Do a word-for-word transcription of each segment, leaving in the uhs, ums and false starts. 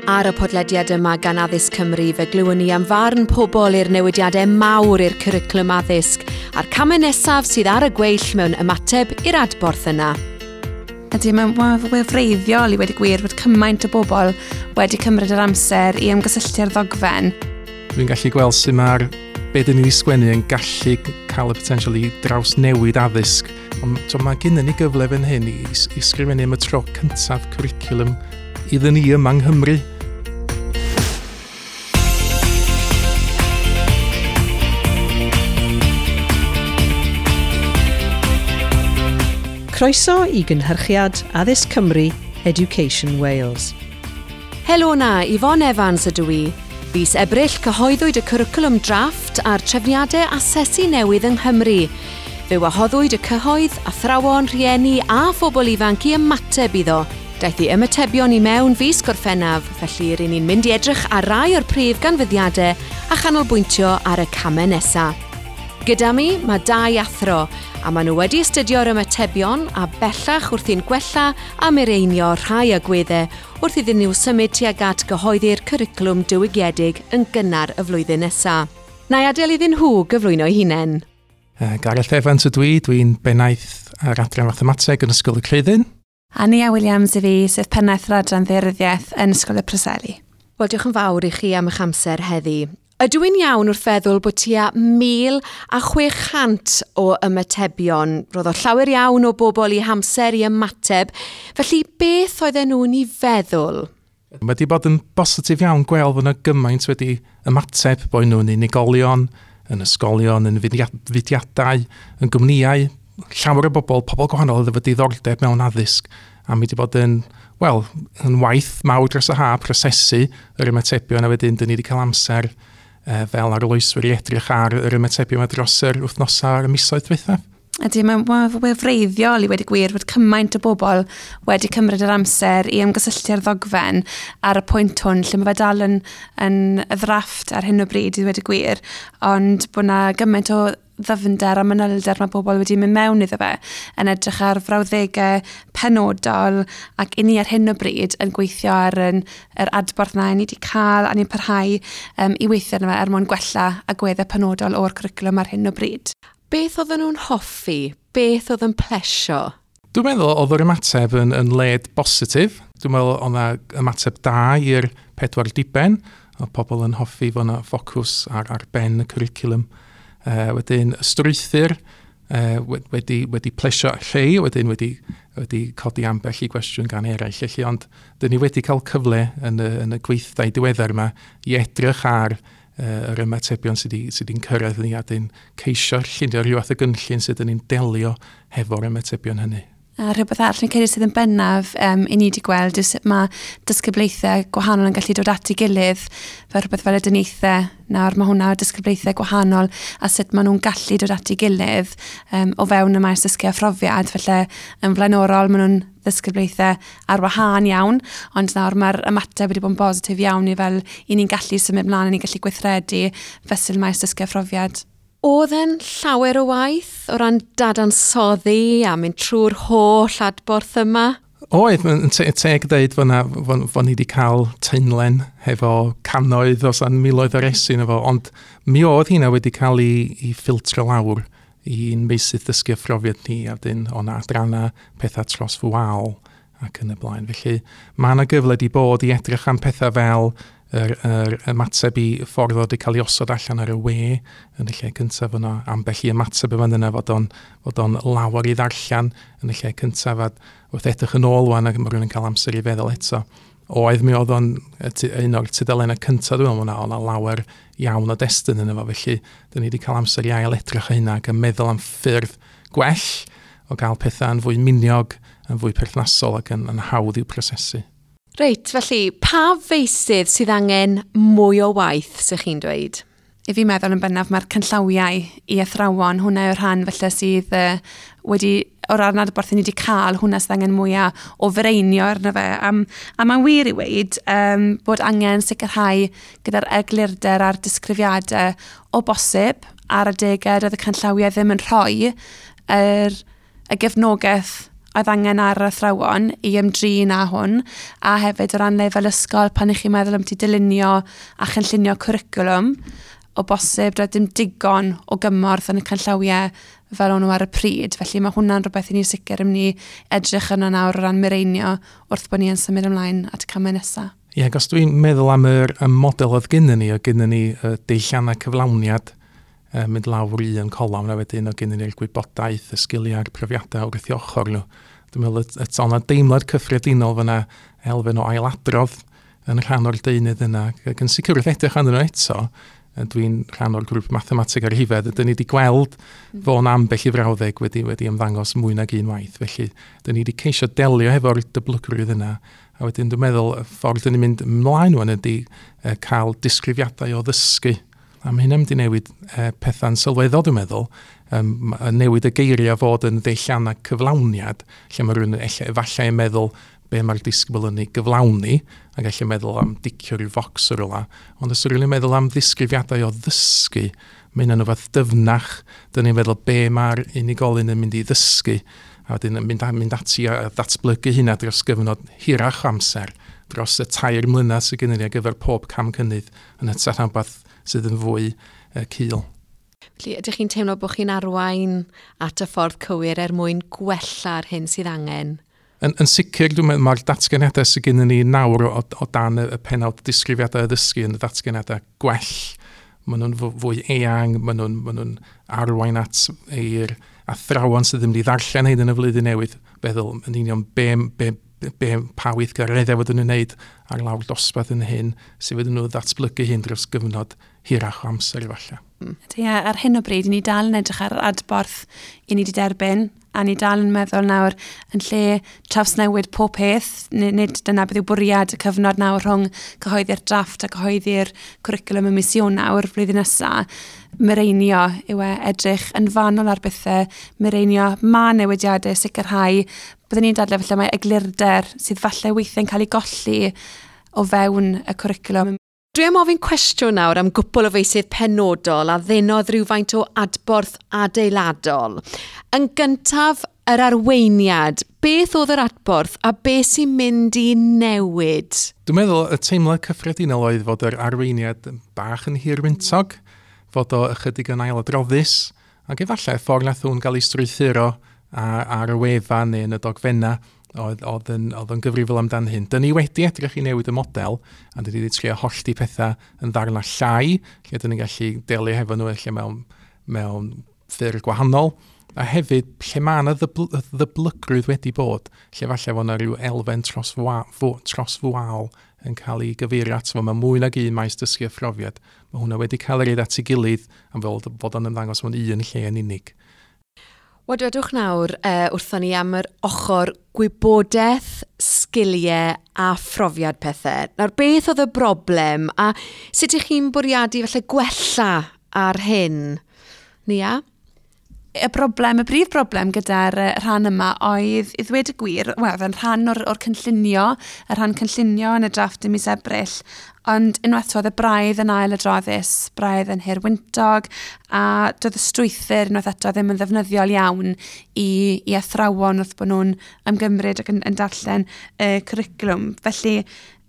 Ar y podlediad yma gan Addysg Cymru fe glywon ni am farn pobl i'r newidiadau mawr i'r cwricwlwm addysg a'r camau nesaf sydd ar y gweill mewn ymateb i'r adborth yna. Ydy, mae'n ma wefreiddiol i wedi gwir bod cymaint o bobl wedi cymryd yr amser i ymgysylltu â'r ddogfen. Dwi'n gallu gweld sut mae'r be dyn ni wedi sgwennu yn gallu cael y potensial i drawsnewid addysg. Ond so, mae gennym ni gyfle fan hyn i, i sgrifennu am y tro cyntaf cwricwlwm iddyn ni yma yng Nghymru. Croeso i gynhyrchiad Addysg Cymru Education Wales. Helo na, Yvonne Evans ydw i. Fis Ebrill cyhoeddwyd y cwricwlwm drafft a'r trefniadau asesu newydd yng Nghymru. Fe wahoddwyd y cyhoedd, athrawon, rhieni a phobl ifanc i ymateb iddo. Daeth i ymatebion i mewn fis Gorffennaf, felly ry'n ni'n mynd i edrych ar rai o'r prif ganfyddiadau a chanolbwyntio ar y camau nesaf. Gyda mi mae dau athro, a maen nhw wedi astudio'r ymatebion a bellach wrthi'n gwella a mireinio rhai agweddau wrth iddyn nhw symud tuag at gyhoeddi'r cwricwlwm diwygiedig yn gynnar y flwyddyn nesaf. Na i adael iddyn nhw gyflwyno eu hunain. Uh, Gareth Evans ydw i, dwi'n bennaeth ar adran Fathemateg yn Ysgol y Creuddyn. A Nia Williams i fi, sef pennaeth yr adran Ddaearyddiaeth yn Ysgol y Preseli. Wel, diolch yn fawr i chi am eich amser heddi. Ydw i'n iawn wrth feddwl bod tua mil a chwe chant o ymatebion. Roedd o llawer iawn o bobl i hamser i ymateb. Felly beth oedden nhw'n ei feddwl? Mae wedi bod yn bositif iawn gweld fod yna gymaint wedi ymateb, bod nhw'n unigolion, yn ysgolion, yn fudiadau, yn gwmnïau. Llawer o bobl, pobl gwahanol oedd efo diddordeb mewn addysg. A mi wedi bod yn, wel, yn waith mawr dros y ha, prosesu yr ymatebion, a wedyn dyn ni wedi cael amser fel arloeswyr i edrych ar yr ymatebion yma dros yr wythnosau a'r misoedd diwethaf. Ydy, mae'n ma wefreiddiol i wedi gwir bod cymaint o bobl wedi cymryd yr amser i ymgysylltu â'r ddogfen ar y pwynt hwn, lle mae fe dal yn, yn y ddrafft ar hyn o bryd i wedi gwir, ond bod yna gymaint o ddyfnder a manylder mae bobl wedi mynd mewn iddo fe, yn edrych ar frawddegau penodol, ac i ni ar hyn o bryd yn gweithio ar yn, yr adborth na ni wedi cael, a ni'n parhau um, i weithio arno fe er mwyn gwella agweddau penodol o'r cwricwlwm ar hyn o bryd. Beth oedden nhw'n hoffi? Beth oedd yn plesio? Dwi'n meddwl oedd yr ymateb yn, yn led bositif. Dwi'n meddwl oedd yna ymateb da i'r pedwar diben. Oedd pobl yn hoffi fod yna ffocws ar, ar ben y cwricwlwm. Uh, wedyn y strwythur uh, wedi, wedi plesio lle, wedyn wedi, wedi codi ambell i gwestiwn gan eraill. Felly, ond dyn ni wedi cael cyfle yn y, yn y gweithdai diweddar yma i edrych ar uh, yr ymatebion sydd wedi'n cyrraedd ni a dyn ceisio llunio rhyw fath o gynllun sydd yn ni'n delio hefo'r ymatebion hynny. A rhywbeth arall yn credu sydd yn bennaf um, i ni wedi gweld yw sut mae disgyblaethau gwahanol yn gallu dod at ei gilydd, fel rhywbeth fel y dyniaethau. Nawr mae hwnna o disgyblaethau gwahanol a sut maen nhw'n gallu dod at ei gilydd um, o fewn y maes dysgu a phrofiad. Felly yn flaenorol maen nhw'n ddisgyblaethau ar wahân iawn, ond nawr mae'r ymateb wedi bod yn bositif iawn i fel i ni'n gallu symud mlaen, i ni'n gallu gweithredu fesul maes dysgu a phrofiad. Oedd e'n llawer o waith o ran dadansoddi a mynd trwy'r holl adborth yma? Oedd, yn teg dweud fod, na, fod, fod ni wedi cael taenlen hefo cannoedd os an miloedd o resi efo, ond mi oedd hynna wedi cael ei, ei ffiltro lawr i'n meysydd dysgu a phrofiad ni, a wedyn o na adrannau pethau tros fwal ac yn y blaen. Felly mae yna gyfle wedi bod i edrych am pethau fel yr, yr ymateb i ffordd oedd wedi cael ei osod allan ar y we yn y lle cyntaf yna, ambell i ymateb yma yna fod o'n, fod o'n lawer i ddarllen yn y lle cyntaf, a wrth edrych yn ôl wan ac mae rhywun yn cael amser i feddwl eto. Oedd mi oedd o'n un o'r tudalennau cyntaf, dwi'n meddwl, oedd yna lawer iawn o destun yna fo, felly dyn ni wedi cael amser i ail edrych ar hynna ac yn meddwl am ffyrdd gwell o gael pethau yn fwy miniog, yn fwy perthnasol ac yn, yn hawdd i'w prosesu. Reit, felly, pa feysydd sydd angen mwy o waith, sy'ch chi'n dweud? I fi meddwl yn bennaf mae'r canllawiau i athrawon, hwnna yw'r rhan felly sydd uh, wedi, o'r ran adborth ni wedi cael, hwnna sydd angen mwyaf o fireinio arno fe. Um, a mae'n wir i weud um, bod angen sicrhau gyda'r eglurder a'r disgrifiadau o bosib ar adegau doedd y canllawiau ddim yn rhoi yr, y gefnogaeth oedd angen ar yr athrawon i ymdrin â hwn, a hefyd o ran lefel ysgol pan ych chi'n meddwl am ti dylunio a chynllunio cwricwlwm, o bosib doedd dim digon o gymorth yn y canllawiau fel o'n nhw ar y pryd. Felly mae hwnna'n rhywbeth i ni'n sicr yn mynd i edrych yno nawr o ran mireinio wrth bod ni yn symud ymlaen at y camau nesaf. Ie, yeah, os dwi'n meddwl am yr y model oedd gynnon ni, oedd gynnon ni y deilliannau cyflawniad, mynd lawr i un colofn, a wedyn oedd gynnon ni'r gwybodaeth, y sgiliau a'r profiadau wrth i ochr nhw. Dwi'n meddwl eto yna deimlad cyffredinol fyna elfen o ailadrodd yn rhan o'r deunydd yna. Ac yn sicr wrth edrych arnyn nhw eto, dwi'n rhan o'r grŵp mathemateg ar rhifedd, dyn ni wedi gweld fo'n ambell i frawddeg wedi, wedi ymddangos mwy nag un waith. Felly, dyn ni wedi ceisio delio hefo'r dyblygrwydd yna. A wedyn dwi'n meddwl y ffordd dyn ni'n mynd ymlaen wan ydy cael disgrifiadau o ddysgu. A mae hynna'n mynd i newid pethau'n sylweddol, dwi'n meddwl. Um, newid y geiriau fod yn ddeilliannau cyflawniad, lle mae rhywun efallai yn meddwl be mae'r disgybl yn ei gyflawni, ac gallu meddwl am dicio rhyw focs o'r rywle. Ond os rhywun yn meddwl am ddisgrifiadau o ddysgu, mae hynna'n rhywbeth dyfnach. Dyn ni'n meddwl be mae'r unigolyn yn mynd i ddysgu, a wedyn yn mynd, mynd ati a ddatblygu hynna dros gyfnod hirach amser, dros y tair mlynedd sydd gennym ni ar gyfer pob cam cynnydd, yn hytrach na rhywbeth sydd yn fwy uh, cul. Felly, ydych chi'n teimlo bod chi'n arwain at y ffordd cywir er mwyn gwella'r hyn sydd angen? Yn, yn sicr, dwi'n meddwl, mae'r datganiadau sydd gennym ni nawr o, o dan y, y pennawd disgrifiadau addysgu yn y datganiadau gwell. Maen nhw'n fwy eang, maen nhw'n, maen nhw'n arwain at ei'r athrawon sydd ddim wedi ddarllen hyn yn y flwyddyn newydd, feddwl yn union be, be, be, pa weithgareddau fod nhw'n wneud ar lawr dosbarth yn hyn, sydd fod nhw ddatblygu hyn dros gyfnod hirach o amser efallai. Ie, ar hyn o bryd, ni dal yn edrych ar adborth i ni wedi derbyn, a ni dal yn meddwl nawr yn lle trawsnewid pob peth, nid dyna beth yw bwriad y cyfnod nawr rhwng cyhoeddi'r drafft a cyhoeddi'r cwricwlwm ym mis Ionawr flwyddyn nesaf. Mireinio yw e, edrych yn fanwl ar bethau, mireinio ma newidiadau, sicrhau. Byddwn ni'n dadlau falle mae eglurder sydd falle weithiau'n cael ei golli o fewn y cwricwlwm. Dwi am ofyn cwestiwn nawr am gwpl o feysydd penodol a ddenodd rhywfaint o adborth adeiladol. Yn gyntaf, yr arweiniad. Beth oedd yr adborth a beth sy'n mynd i newid? Dwi'n meddwl y teimlad cyffredinol oedd fod yr arweiniad bach yn hirwyntog, fod o ychydig yn ailadroddus, ac efallai ffordd nath hwn gael ei strwythuro ar, ar y wefan neu yn y dogfennau oedd, oedd, yn, oedd yn gyfrifol amdan hyn. Dyn ni wedi edrych i newid y model, a dyn ni wedi trio hollti pethau yn ddarnau llai, lle dyn ni'n gallu delio hefo nhw lle mewn, mewn ffyrdd gwahanol, a hefyd lle mae yna ddyblygrwydd wedi bod, lle falle fod yna rhyw elfen trosfwaol yn cael ei gyfeirio ato fo. Mae mwy nag un maes dysgu a phrofiad. Mae hwnna wedi cael ei roid at ei gilydd am fel fod o'n ymddangos mewn un lle yn unig. Wel, dwedwch nawr uh, wrthon ni am yr ochr gwybodaeth, sgiliau a phrofiad pethau. Nawr, beth oedd y broblem a sut ych chi'n bwriadu falle gwella ar hyn? Nia? Y broblem, y brif broblem gyda'r rhan yma oedd, i ddweud y gwir, wel, yn rhan o'r, or cynllunio, y rhan cynllunio yn y drafft ym mis Ebrill, ond unwaith oedd y braidd yn ailadroddus, braidd yn hirwyntog, a doedd y strwythur unwaith eto ddim yn ddefnyddiol iawn i, i athrawon wrth bod nhw'n ymgymryd ac yn, yn darllen y cwricwlwm. Felly,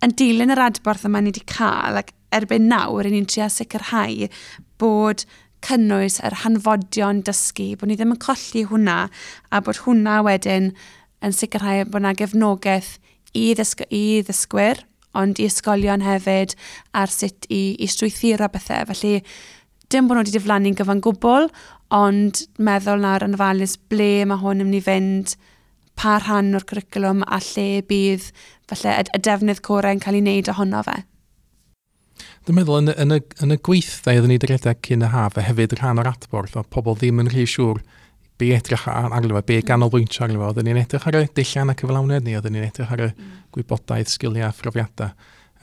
yn dilyn yr adborth yma ni wedi cael, ac erbyn nawr, ni'n trio sicrhau bod cynnwys yr hanfodion dysgu, bod ni ddim yn colli hwnna, a bod hwnna wedyn yn sicrhau bod yna gefnogaeth i, ddysg i ddysgwyr, ond i ysgolion hefyd, ar sut i, i strwythuro bethau. Felly, dim bod nhw wedi diflannu'n gyfan gwbl, ond meddwl nawr yn ofalus ble mae hwn yn mynd i fynd, pa rhan o'r cwricwlwm a lle bydd falle y, y defnydd corau yn cael ei wneud ohono fe. Dwi'n meddwl yn, yn, y, yn y gweithdai oedden ni wedi rhedeg cyn y haf, a hefyd rhan o'r adborth, oedd pobl ddim yn rhy siŵr be edrych arno fo, be ganolbwyntio arno fo. Oedden ni'n edrych ar y dulliannau cyflawniad ni, oedden ni'n edrych ar y gwybodaeth, sgiliau a phrofiadau.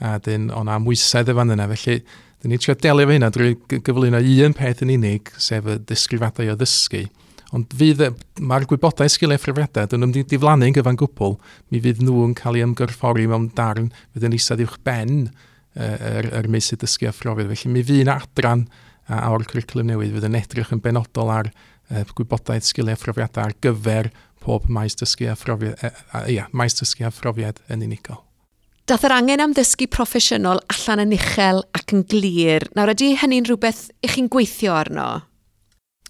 A dyn, o'na amwysedd y fan yna. Felly, dyn ni'n trio delio efo hynna drwy gyflwyno un peth yn unig, sef y disgrifiadau o ddysgu. Ond fydd, mae'r gwybodaeth, sgiliau a phrofiadau, dyn nhw'n mynd i diflannu'n gyfan gwbl, mi fydd nhw'n cael eu ymgorffori mewn darn fydd yn eistedd uwch ben yr, yr meysydd dysgu a phrofiad. Felly mi fydd yna adran o'r cwricwlwm newydd fydd yn edrych yn benodol ar uh, gwybodaeth, sgiliau a phrofiadau ar gyfer pob maes dysgu a phrofiad, e, a, ia, maes dysgu a phrofiad yn unigol. Dath yr angen am ddysgu proffesiynol allan yn uchel ac yn glir. Nawr, ydy hynny'n rhywbeth i chi'n gweithio arno?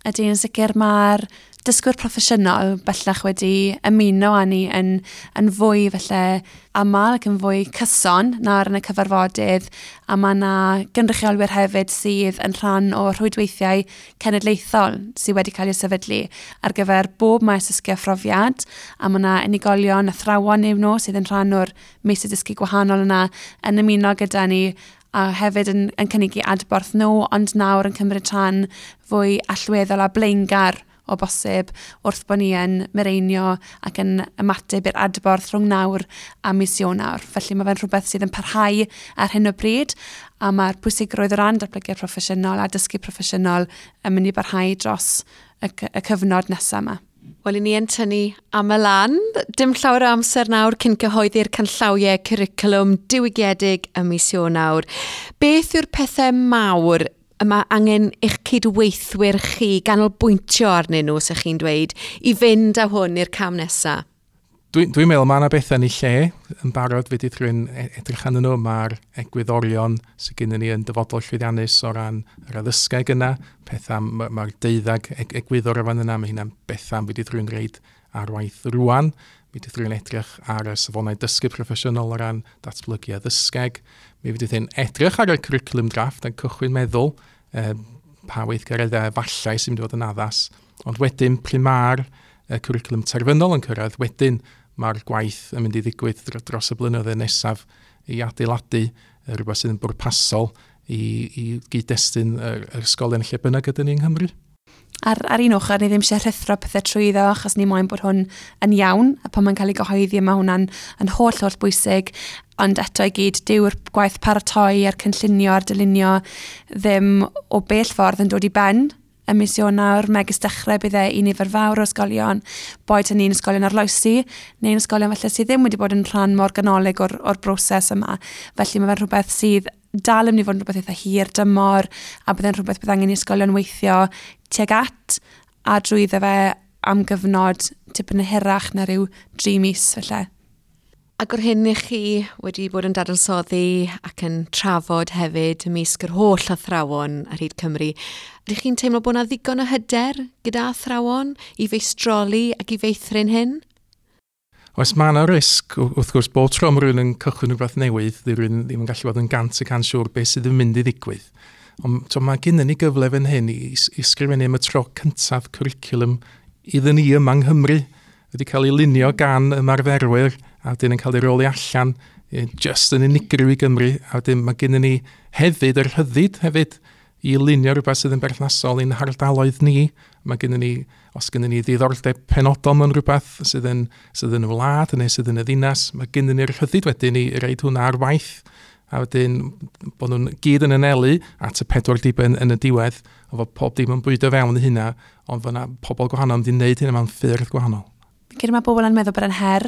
Ydy, yn sicr mae'r dysgwyr proffesiynol bellach wedi ymuno â ni yn, yn fwy felly aml ac yn fwy cyson nawr yn y cyfarfodydd, a mae yna gynrychiolwyr hefyd sydd yn rhan o rhwydweithiau cenedlaethol sydd wedi cael eu sefydlu ar gyfer bob maes dysgu a phrofiad, a mae yna unigolion, athrawon yw nhw sydd yn rhan o'r meysydd dysgu gwahanol yna yn ymuno gyda ni a hefyd yn, yn cynnig adborth nhw, ond nawr yn cymryd rhan fwy allweddol a blaengar o bosib wrth bod ni yn mireinio ac yn ymateb i'r adborth rhwng nawr a mis Ionawr. Felly mae fe'n rhywbeth sydd yn parhau ar hyn o bryd, a mae'r pwysigrwydd o ran datblygiad proffesiynol a dysgu proffesiynol yn mynd i barhau dros y, y cyfnod nesaf yma. Wel, i ni yn tynnu am y lan. Dim llawer o amser nawr cyn cyhoeddi'r canllawiau cwricwlwm diwygiedig ym mis Ionawr. Beth yw'r pethau mawr y mae angen eich cydweithwyr chi ganolbwyntio arnyn nhw, sa'ch chi'n dweud, i fynd â hwn i'r cam nesaf? Dwi'n dwi meddwl mae yna bethau yn ei lle yn barod fedrith rhywun edrych arnyn nhw. Mae'r egwyddorion sydd gennym ni yn Dyfodol Llwyddiannus o ran yr addysgeg yna, pethau, mae'r deuddag egwyddor o fan yna, mae hynna'n bethau fedrith rhywun reid ar waith rwan. Fedrith rhywun edrych ar y safonau dysgu proffesiynol o ran datblygu addysgeg. Mi fedrith rhywun edrych ar y cwricwlwm drafft a cychwyn meddwl eh, pa weithgareddau efallai sy'n mynd i fod yn addas. Ond wedyn, pryd mae'r cwricwlwm terfynol yn cyrraedd, wedyn mae'r gwaith yn mynd i ddigwydd dros y blynyddoedd nesaf i adeiladu rhywbeth sydd yn bwrpasol i, i gyd-destun yr, yr ysgolion lle bynnag ydyn ni yng Nghymru. Ar, ar un ochr, ni ddim eisiau rhuthro pethau trwyddo, achos ni moyn bod hwn yn iawn, a pan mae'n cael ei gyhoeddi, mae hwnna'n yn holl, holl bwysig, ond eto i gyd, dyw'r gwaith paratoi a'r cynllunio a'r dylunio ddim o bell ffordd yn dod i ben ym mis Ionawr, megis dechrau bydd e i nifer fawr o ysgolion, boed hynny'n ysgolion arloesi, neu'n ysgolion falle sydd ddim wedi bod yn rhan mor ganolig o'r, o'r broses yma. Felly mae fe'n rhywbeth sydd dal yn mynd i fod yn rhywbeth eitha hir dymor, a bydd e'n rhywbeth bydd angen i ysgolion weithio tuag at a drwyddo fe am gyfnod tipyn yn hirach na rhyw dri mis felly. Ac o'r hyn i chi wedi bod yn dadansoddi ac yn trafod hefyd ymysg yr holl athrawon ar hyd Cymru, ydych chi'n teimlo bod yna ddigon o hyder gyda athrawon i feistroli ac i feithrin hyn? Oes, mae yna risg, wrth gwrs, bob tro mae rhywun yn cychwyn rhywbeth newydd, dyw rhywun ddim yn gallu bod yn gant y cant siŵr beth sydd yn mynd i ddigwydd. Ond to, mae gennym ni gyfle fan hyn i, i sgrifennu am y tro cyntaf cwricwlwm iddyn ni yma yng Nghymru, wedi cael ei lunio gan ymarferwyr, a wedyn yn cael ei roli allan just yn unigryw i Gymru, a wedyn mae gennym ni hefyd yr rhyddid hefyd i lunio rhywbeth sydd yn berthnasol i'n hardaloedd ni. Mae gennym ni, os gennym ni ddiddordeb penodol mewn rhywbeth sydd yn, sydd yn y wlad neu sydd yn y ddinas, mae gennym ni'r rhyddid wedyn i reid hwnna ar waith, a wedyn bod nhw'n gyd yn anelu at y pedwar diben yn y diwedd, o fod pob dim yn bwydo fewn i hynna, ond fod yna pobl gwahanol yn mynd i wneud hynna mewn ffyrdd gwahanol. Fi'n credu mae bobl yn meddwl bod e'n her,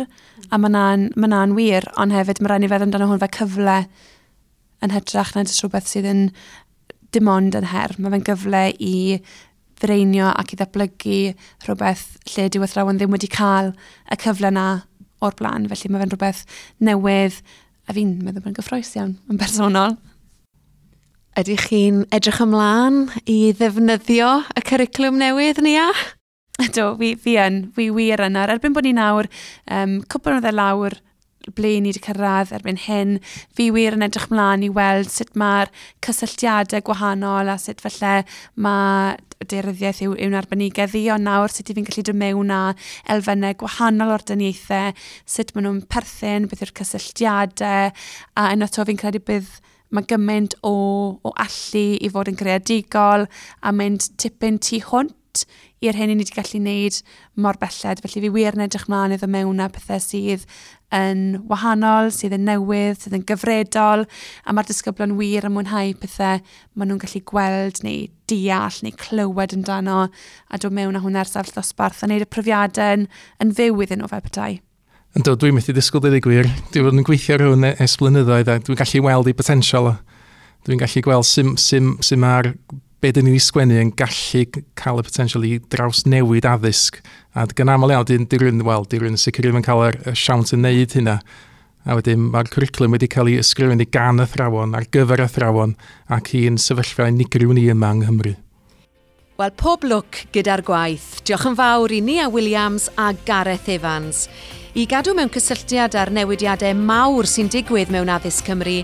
a mae hwnna'n ma hwnna'n wir, ond hefyd mae rhaid ni feddwl amdano hwn fel cyfle yn hytrach na jyst rhywbeth sydd yn dim ond yn her. Mae fe'n gyfle i fireinio ac i ddatblygu rhywbeth lle dyw athrawon ddim wedi cael y cyfle na o'r blaen. Felly mae fe'n rhywbeth newydd, a fi'n meddwl bod yn gyffrous iawn yn bersonol. Ydych chi'n edrych ymlaen i ddefnyddio y cwricwlwm newydd, Nia? Ydw, fi, fi yn, fi wir yn. Ar erbyn bod ni nawr, um, cwpl o flynyddoedd lawr ble ni wedi cyrraedd erbyn hyn, fi wir yn edrych mlaen i weld sut mae'r cysylltiadau gwahanol a sut falle mae daearyddiaeth yw, yw'n arbenigedd i, ond nawr sut i fi'n gallu dod mewn â elfennau gwahanol o'r dyniaethau, sut maen nhw'n perthyn, beth yw'r cysylltiadau, a unwaith eto fi'n credu bydd mae gymaint o, o allu i fod yn greadigol a mynd tipyn tu hwnt i'r hyn i ni wedi gallu wneud mor belled. Felly fi wir yn edrych mlaen iddo mewn â pethau sydd yn wahanol, sydd yn newydd, sydd yn gyfredol, a mae'r disgyblion wir yn mwynhau pethau maen nhw'n gallu gweld neu deall neu clywed amdano a dod mewn â hwnna ar safle dosbarth a wneud y profiadau yn, yn fyw iddyn nhw fel petai. Yndw, dwi'n methu disgwyl deud y gwir. Dwi'n bod yn gweithio ar hwn ers blynyddoedd a dwi'n gallu weld ei potensial. Dwi'n gallu gweld sut, sut, sut mae'r be dyn ni'n sgwennu yn gallu cael y potensial i drawsnewid addysg. A gan aml iawn, di, di rhywun, wel, di rhywun sicr ddim yn cael yr, y siawns yn neud hynna. A wedyn mae'r cwricwlwm wedi cael ei ysgrifennu gan athrawon, ar gyfer athrawon, ac i'n sefyllfa unigryw ni yma yng Nghymru. Wel, pob lwc gyda'r gwaith. Diolch yn fawr i Nia Williams a Gareth Evans. I gadw mewn cysylltiad â'r newidiadau mawr sy'n digwydd mewn addysg Cymru,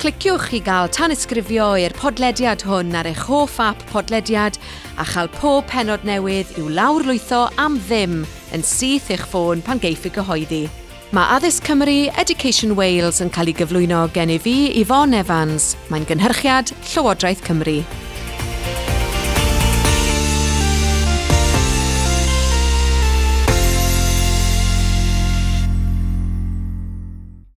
cliciwch i gael tanysgrifio i'r podlediad hwn ar eich hoff app podlediad a chael pob pennod newydd i'w lawrlwytho am ddim yn syth i'ch ffôn pan geiff ei gyhoeddi. Mae Addysg Cymru Education Wales yn cael ei gyflwyno gen i fi, Yvonne Evans. Mae'n gynhyrchiad Llywodraeth Cymru.